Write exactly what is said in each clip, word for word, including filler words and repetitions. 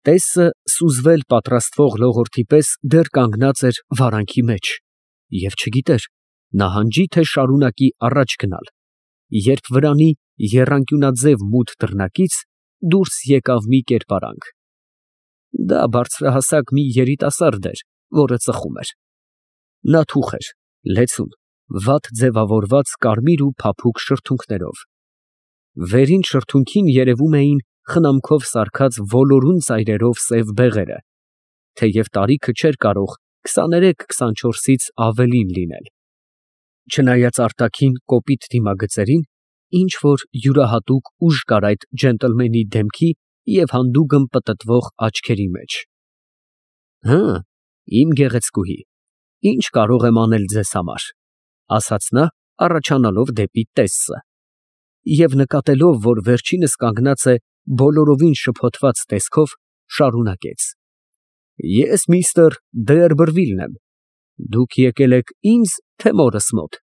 Տեսը սուզվել պատրաստվող լողորդի պես դեռ կանգնած էր վարանքի մեջ և չգիտեր նահանջի, թե շարունակի առաջ գնալ, երբ վրանի եռանկյունաձև մութ դռնակից դուրս եկավ մի կերպարանք. դա բարձրահասակ մի երիտասարդ էր, որը ծխում էր. նա թուխ էր, լեցուն, վատ ձևավորված կարմիր ու փափուկ շրթունքներով, վերին շրթունքին երևում էին խնամքով սարքած ոլորուն ծայրերով սև բեղերը, թեև տարիքը չէր կարող քսաներեք֊քսանչորսից ավելին լինել, չնայած արտաքին կոպիտ դիմագծերին, ինչ որ յուրահատուկ ուժ կար այդ ջենտլմենի դեմքի և հանդուգն պտտվող աչքերի մեջ։ ֊ Հը, իմ գեղեցկուհի, ի՞նչ կարող եմ անել ձեզ համար, ֊ ասաց նա, առաջանալով դեպի Տեսսը, և նկատելով, որ վերջինս կանգնած է բոլորովին շփոթված տեսքով, շարունակեց. ֊ Ես միստր Դերբրվիլն եմ, դուք եկել եք ինձ, թե մորս մոտ։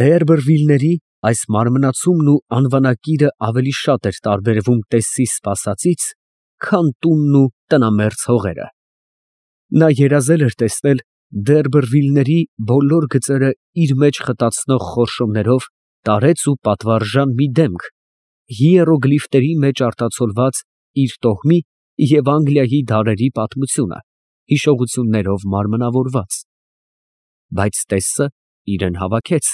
Դերբրվիլների այս մարմնացումն ու անվանակիրը ավելի շատ էր տարբերվում Տեսսի սպասածից, քան տունն ու տնամերձ հողերը. նա երազել էր տեսնել Դերբրվիլների բոլոր գծերը իր մեջ խտացնող խորշումներով տարեց ու պատվարժան մի դեմք, հիերոգլիֆների մեջ արտացոլված իր տոհմի և Անգլիայի դարերի պատմությունը, հիշողություններով մարմնավորված, բայց Տեսսը իրեն հավաքեց,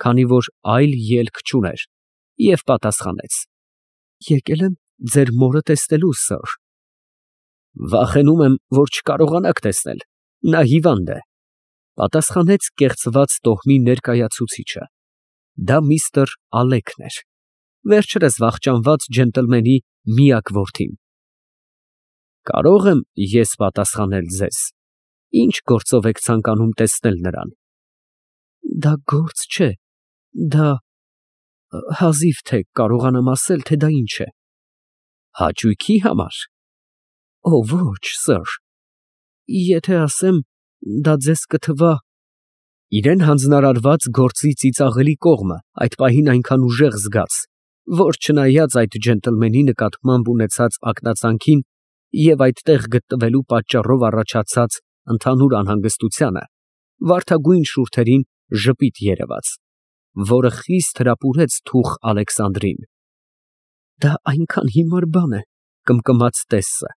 քանի որ այլ ելք չուներ, և պատասխանեց. եկել եմ ձեր մորը տեսնելու, սըր։ Վախենում եմ, որ չկարողանաք տեսնել, նա հիվանդ է, ֊ պատասխանեց կեղծված տոհմի ներկայացուցիչը. դա միստր Ալեքն էր, վերջերս վախճանված ջենտլմենի միակ որդին։ Կարո՞ղ եմ ես պատասխանել ձեզ, ինչ գործով եք ցանկանում տեսնել նրան։ Դա գործ չէ, դա… հազիվ թե կարողանամ ասել, թե դա ինչ է։ Հաճույքի համար։ Օ, ոչ, սըր, եթե ասեմ, դա ձեզ կթվա… Իրան հանձնարարված գործի ծիծաղելի կողմը այդ պահին այնքան ուժեղ զգաց, որ չնայած այդ ջենտլմենի նկատմամբ ունեցած ակնածանքին և այդտեղ գտնվելու պատճառով առաջացած ընդհանուր անհանգստությանը, վարդագույն շուրթերին ժպիտ երևաց, որը խիստ հրապուրեց թուխ Ալեքսանդրին։ Դա այնքան հիմար բան է, կմկմաց Տեսսը,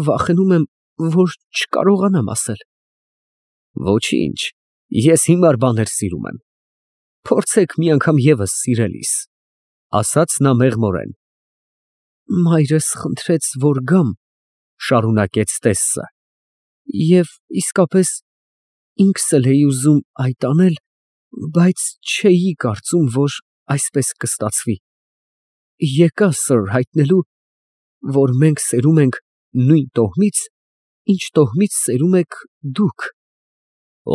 վախենում եմ, որ չկարողանամ ասել։ Ոչինչ, ես հիմար բաներ սիրում եմ, փորձեք մի անգամ ևս սիրելիս, ֊ ասաց նա մեղմորեն։ Մայրս խնդրեց, որ գամ, ֊ շարունակեց Տեսսը, և իսկապես ինքս էլ էի ուզում այդ անել, բայց չէի կարծում, որ այսպես կստացվի։ Եկա, սըր, հայտնելու, որ մենք սերում ենք նույն տոհմից, ինչ տոհմից սերում եք դուք։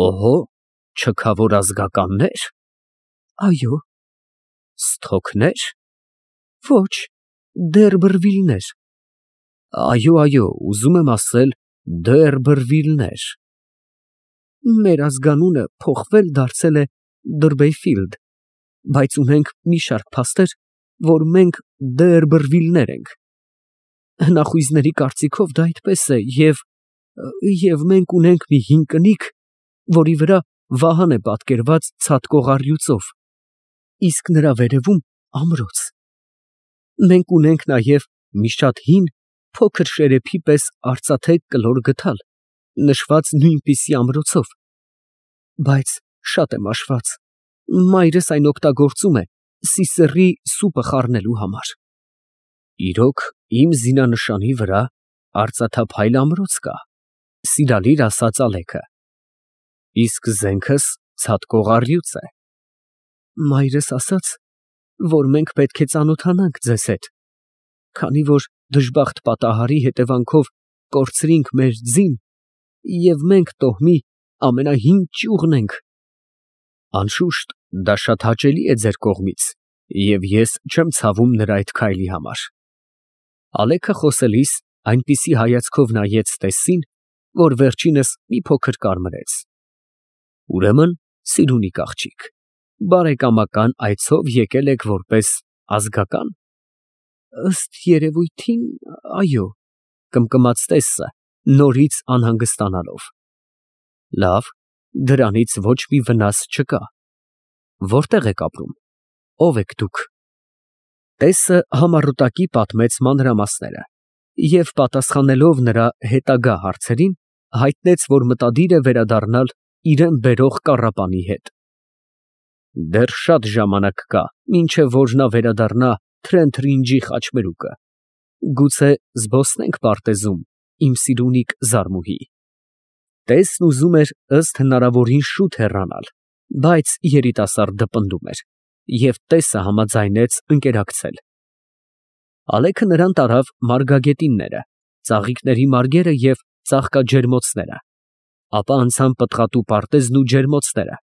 Օհո, չքավոր ազգականնե՞ր։ Այո։ Սթոքնե՞ր։ Ոչ, Դերբրվիլներ։ Այո, այո, ուզում եմ ասել Դերբրվիլներ։ Մեր ազգանունը փոխվել դարձել է Դըրբեյֆիլդ, բայց ունենք մի շարք փաստեր, որ մենք Դերբրվիլներ ենք։ Հնախույզների կարծիքով դա այդպես է, և… և մենք ունենք մի հին կնիկ, որի վրա Վահան է պատկերված ցատկող առյուծով, իսկ նրա վերևում ամրոց։ Մենք ունենք նաև մի շատ հին, փոքր շերեփի պես արծաթե կլոր գդալ, նշված նույնպիսի ամրոցով, բայց շատ է մաշված, մայրս այն օգտագործում է Սիսեռի սուպը խառնելու համար։ Իրոք, իմ զինանշանի վրա արծաթափայլ ամրոց կա, ֊ սիրալիր ասաց Ալեքը, իսկ զենքս ցատկող առյուծ է։ Մայրս ասաց, որ մենք պետք է ծանոթանանք ձեզ հետ, քանի որ դժբախտ պատահարի հետևանքով կորցրինք մեր ձին, և մենք տոհմի ամենահին ճյուղն ենք։ Անշուշտ, դա շատ հաճելի է ձեր կողմից, և ես չեմ ցավում նրա այդ քայլի համար։ Ալեքը խոսելիս այնպիսի հայացքով նայեց Տեսսին, որ վերջինս մի փոքր կարմրեց։ Ուրեմն, սիրունիկ աղջիկ, բարեկամական այցով եկել եք որպես ազգակա՞ն։ Ըստ երևույթին, այո։ կմկմաց տեսը, նորից անհանգստանալով։ Լավ, դրանից ոչ մի վնաս չկա։ Որտե՞ղ եք ապրում, ո՞վ եք դուք։ Տեսը համառոտակի պատմեց մանրամասները և պատասխանելով նրա հետագա հարցերին, հայտնեց, որ մտադիր է վերադառնալ իրան բերող կառապանի հետ։ Դեռ շատ ժամանակ կա, մինչև որ նա վերադառնա Թրենթրինջի խաչմերուկը։ Գուցե զբոսնենք պարտեզում, իմ սիրունիկ Զարմուհի։ Տեսն ուզում էր ըստ հնարավորին շուտ հեռանալ, բայց երիտասարդը պնդում էր, և տեսը համաձայնեց ընկերակցել։ Ալեքը նրան տարավ մարգագետինները, ծաղիկների մարգերը և ծաղկաջերմոցները, ապա անցան պտղատու պարտեզն ու ջերմոցները,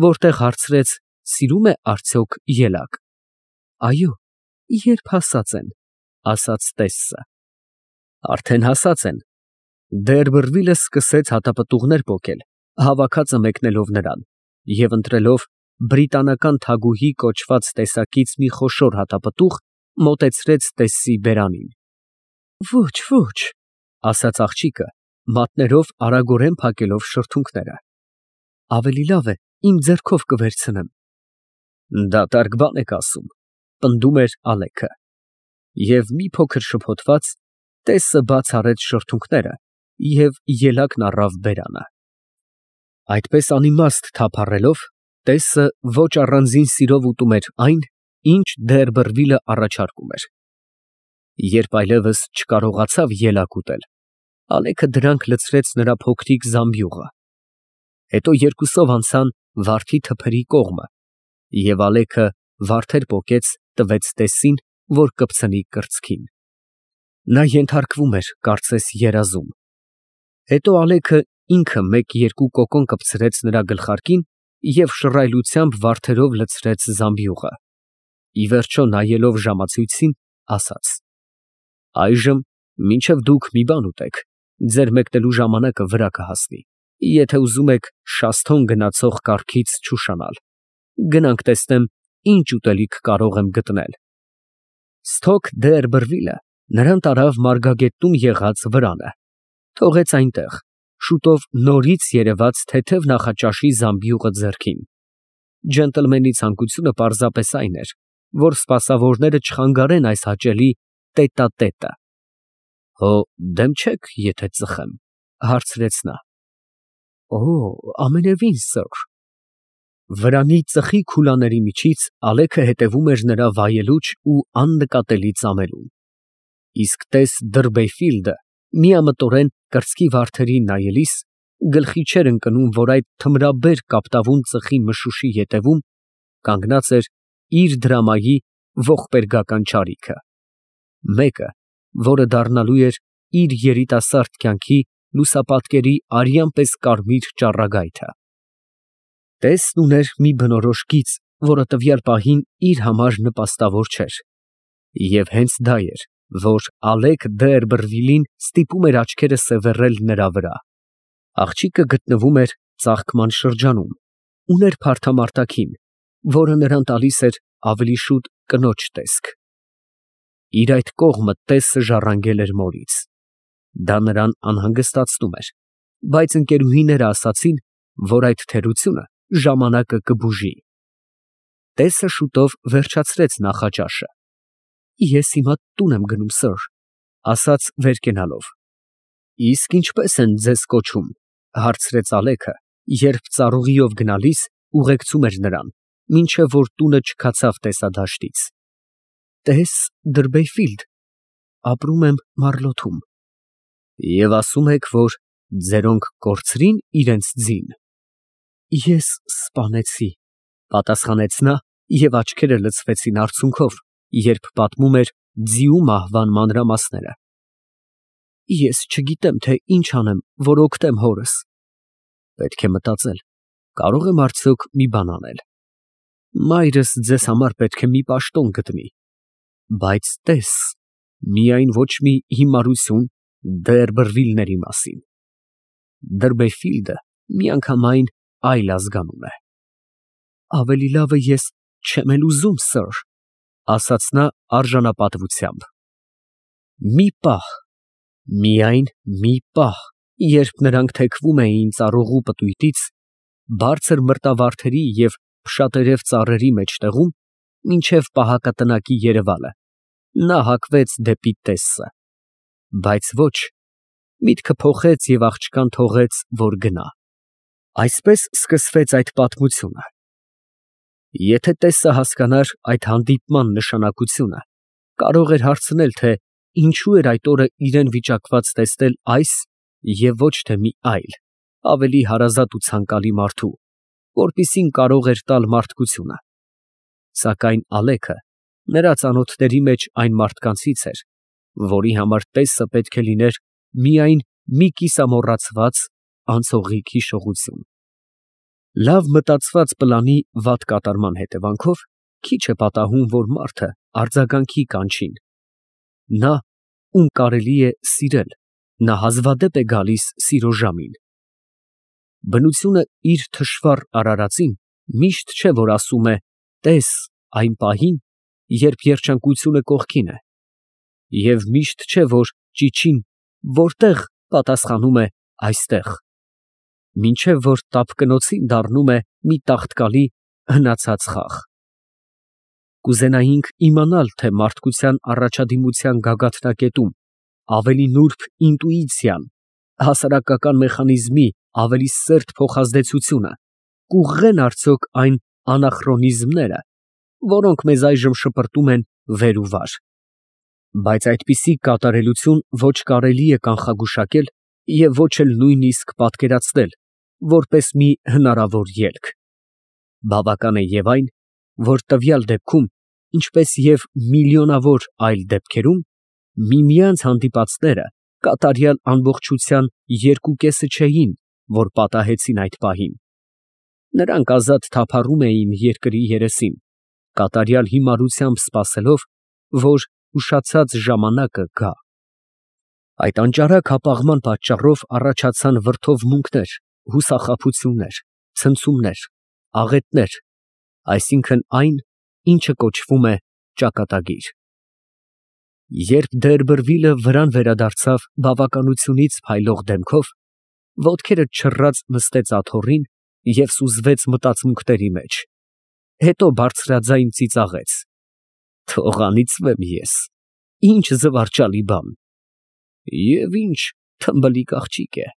որտեղ հարցրեց սիրո՞ւմ է արդյոք ելակ։ Այո, երբ հասած են, ասաց տեսը։ Արդեն հասած են։ Դերբերվիլը սկսեց հատապտուղներ պոկել, հավաքածը մեկնելով նրան, և ընտրելով բրիտանական թագուհի կոչված տեսակից մի խոշոր հատապտուղ, մոտեցրեց տեսի բերանին։ Ոչ, ոչ, ասաց աղջիկը, մատներով արագորեն փակելով շրթունքները։ Ավելի լավ է, իմ ձեռքով կվերցնեմ։ Դատարկ բան եք ասում, պնդում էր Ալեքը։ Եվ մի փոքր շփոթված, տեսը բաց արեց շրթունքները և ելակն առավ բերանը։ Այդպես անիմաստ թափառելով, տեսը ոչ առանձին սիրով ուտում էր այն, ինչ Դերբերվիլը առաջարկում էր։ Երբ այլևս չկարողացավ ելակ ուտել, Ալեքը դրանք լցրեց նրա փոքրիկ զամբյուղը։ Հետո երկուսով անցան վարդի թփերի կողմը, և Ալեքը վարդեր պոկեց, տվեց տեսին, որ կպցնի կրծքին։ Նա ենթարկվում էր, կարծես երազում։ Հետո Ալեքը ինքը մեկ֊երկու կոկոն կպցրեց նրա գլխարկին և շռայլությամբ վարդերով լցրեց զամբյուղը։ Ի վերջո, նայելով ժամացույցին, ասաց. Այժմ մինչև դուք մի բան ուտեք, ձեր մեկնելու ժամանակը վրա կհասնի, եթե ուզում եք Շաստոն գնացող կառքից չուշանալ։ Գնանք տեսնեմ, ինչ ուտելիք կարող եմ գտնել։ Սթոք Դերբերվիլը նրան տարավ մարգագետնում եղած վրանը, թողեց այնտեղ, շուտով նորից երևաց թեթև նախաճաշի զամբյուղը ձեռքին։ Ջենտլմենի ցանկությունը պարզապես այն էր, որ սպասավորները չխանգարեն այս հաճելի տետա֊տետը։ Հո դեմ չեք, եթե ծխեմ, հարցրեց նա։ Օ, ամենևին, սըր։ Վրանի ծխի քուլաների միջից Ալեքը հետևում էր նրա վայելուչ ու աննկատելի ծամելուն։ Իսկ տես Դըրբեյֆիլդը միամտորեն կրծքի վարդերին նայելիս գլխի չէր ընկնում, որ այդ թմրաբեր կապտավուն ծխի մշուշի ետևում կանգնած էր իր դրամայի ողբերգական չարիքը, մեկը, որը դառնալու էր իր երիտասարդ կյանքի լուսապատկերի արյան պես կարմիր ճառագայթը։ Տեսն ուներ մի բնորոշ գիծ, որը տվյալ պահին իր համար նպաստավոր չէր, և հենց դա էր, որ Ալեք Դերբերվիլին ստիպում էր աչքերը սևեռել նրա վրա։ Աղջիկը գտնվում էր ծաղկման շրջանում, ուներ փարթամարտակին, որը նրան տալիս էր ավելի շուտ կնոջ տեսք։ Իր այդ կողմը տեսը ժառանգել էր մորից։ Դա նրան անհանգստացնում էր, բայց ընկերուհիները ասացին, որ այդ թերությունը ժամանակը կբուժի։ Տեսը շուտով վերջացրեց նախաճաշը։ Ես հիմա տուն եմ գնում, սըր, ասաց վեր կենալով։ Իսկ ինչպե՞ս են ձեզ կոչում, հարցրեց Ալեքը, երբ ծառուղիով գնալիս ուղեկցում էր նրան, մինչև որ տունը չքացավ տեսադաշտից։ Տես Դըրբեյֆիլդ, ապրում եմ Մարլոթում։ Եվ ասում եք, որ ձերոնք կորցրին իրենց ձին։ Ես սպանեցի, պատասխանեց նա, և աչքերը լցվեցին արցունքով, երբ պատմում էր ձիու մահվան մանրամասները։ Ես չգիտեմ, թե ինչ անեմ, որ օգտեմ հորս։ Պետք է մտածել, կարող եմ արդյոք մի բան անել։ Մայրս ձեզ համար պետք է մի պաշտոն գտնի, բայց տես, միայն ոչ մի հիմարություն Դերբերվիլների մասին։ Դըրբեյֆիլդը միանգամայն այլ ազգանուն է։ Ավելի լավ է ես չեմ էլ ուզում, սըր, ասաց նա արժանապատվությամբ։ Մի պահ, Միայն մի պահ, երբ նրանք թեքվում էին ծառուղու պտույտից, բարձր մրտավարդերի և փշատերև ծառերի մեջտեղում, մինչև պահակատնակի երևալը, նա հակվեց դեպի տեսը, բայց ոչ, միտքը փոխեց և աղջկան թողեց, որ գնա։ Այսպես սկսվեց այդ պատմությունը։ Եթե տեսը հասկանար այդ հանդիպման նշանակությունը, կարող էր հարցնել, թե ինչու էր այդ օրը իրան վիճակված տեսնել այս և ոչ թե մի այլ, ավելի հարազատ ու ցանկալի մարդու, որպիսին կարող էր տալ մարդկությունը, սակայն Ալեքը նրա ծանոթների մեջ այն մարդկանցից էր, որի համար տեսը պետք է լիներ միայն մի կիսամոռացված անցողիկ հիշողություն։ Լավ մտածված պլանի վատ կատարման հետևանքով քիչ է պատահում, որ մարդը արձագանքի կանչին։ Նա, ում կարելի է սիրել, նա հազվադեպ է գալիս սիրո ժամին։ Բնությունը իր թշվառ արարածին միշտ չէ, որ ասում է «տես» այն պահին, երբ երջանկությունը կողքին է, և միշտ չէ, որ ճիչին «որտե՞ղ» պատասխանում է «այստեղ», մինչև որ տափկնոցին դառնում է մի տաղտկալի հնացած խաղ։ Կուզենայինք իմանալ, թե մարդկության առաջադիմության գագաթնակետում ավելի նուրբ ինտուիցիան, հասարակական մեխանիզմի ավելի սերտ փոխազդեցությունը կուղղեն արդյոք այն անախրոնիզմները, որոնք մեզ այժմ շպրտում են վեր ու վար։ Բայց այդպիսի կատարելություն ոչ կարելի է կանխագուշակել և ոչ էլ նույնիսկ պատկերացնել, որպես մի հնարավոր ելք։ Բավական է և այն, որ տվյալ դեպքում, ինչպես և միլիոնավոր այլ դեպքերում, միմյանց հանդիպածները կատարյալ ամբողջության երկու կեսը չէին, որ պատահեցին այդ պահին։ Նրանք ազատ թափառում էին երկրի երեսին, կատարյալ հիմարությամբ սպասելով, որ ուշացած ժամանակը գա։ Այդ անճարակ հապաղման պատճառով առաջացան վրդովմունքներ, հուսախաբություններ, ցնցումներ, աղետներ, այսինքն այն, ինչը կոչվում է ճակատագիր։ Երբ Դերբըրվիլը վրան վերադարձավ բավականությունից փայլող դեմքով, ոտքերը չռած նստեց աթոռին և սուզվեց մտածմունքների մեջ, հետո բարձրաձայն ծիծաղեց. «Թող անիծվեմ ես, ինչ զվարճալի բան, և ինչ թմբլիկ աղջիկ է»։